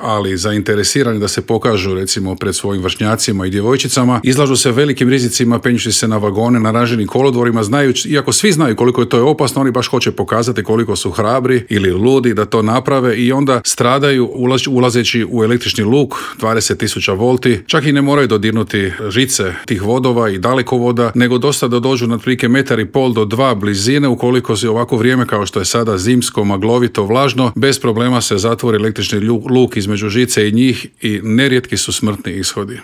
ali zainteresirani da se pokažu recimo pred svojim vršnjacima i djevojčicama, izlažu se velikim rizicima penjući se na vagone, na ranženim kolodvorima, znajući, iako svi znaju koliko je to opasno, oni baš hoće pokazati koliko su hrabri ili ludi da to naprave i onda stradaju ulazeći u električni luk 20.000 volti, čak i ne moraju dodirnuti žice tih vodova i dalekovoda, nego dosta da dođu na otprilike 1,5 do 2 blizine, ukoliko se ovako vrijeme kao što je sada zimsko, maglovito, vlažno, bez problema se zatvori električni luk između žice i njih i nerijetki su smrtni ishodi.